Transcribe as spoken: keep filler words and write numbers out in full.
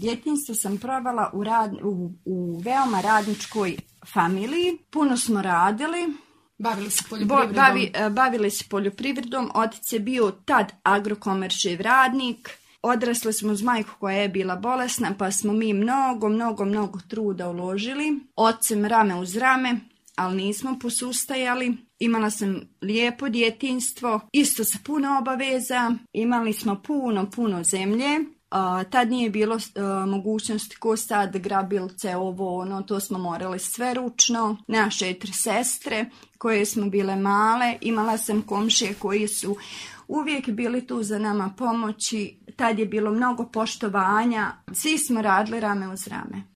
Djetinjstvo sam provela u, rad, u, u veoma radničkoj familiji. Puno smo radili. Bavili se poljoprivredom? Bavi, bavili se poljoprivredom. Otac je bio tad Agrokomeršev radnik. Odrasli smo uz majku koja je bila bolesna, pa smo mi mnogo, mnogo, mnogo truda uložili. Ocem rame uz rame, ali nismo posustajali. Imala sam lijepo djetinjstvo, isto sa puno obaveza. Imali smo puno, puno zemlje. Uh, tad nije bilo uh, mogućnosti ko sad grabilce, ovo, ono, to smo morali sve ručno. Naše četiri sestre koje smo bile male, imala sam komšije koji su uvijek bili tu za nama pomoći. Tad je bilo mnogo poštovanja, svi smo radili rame uz rame.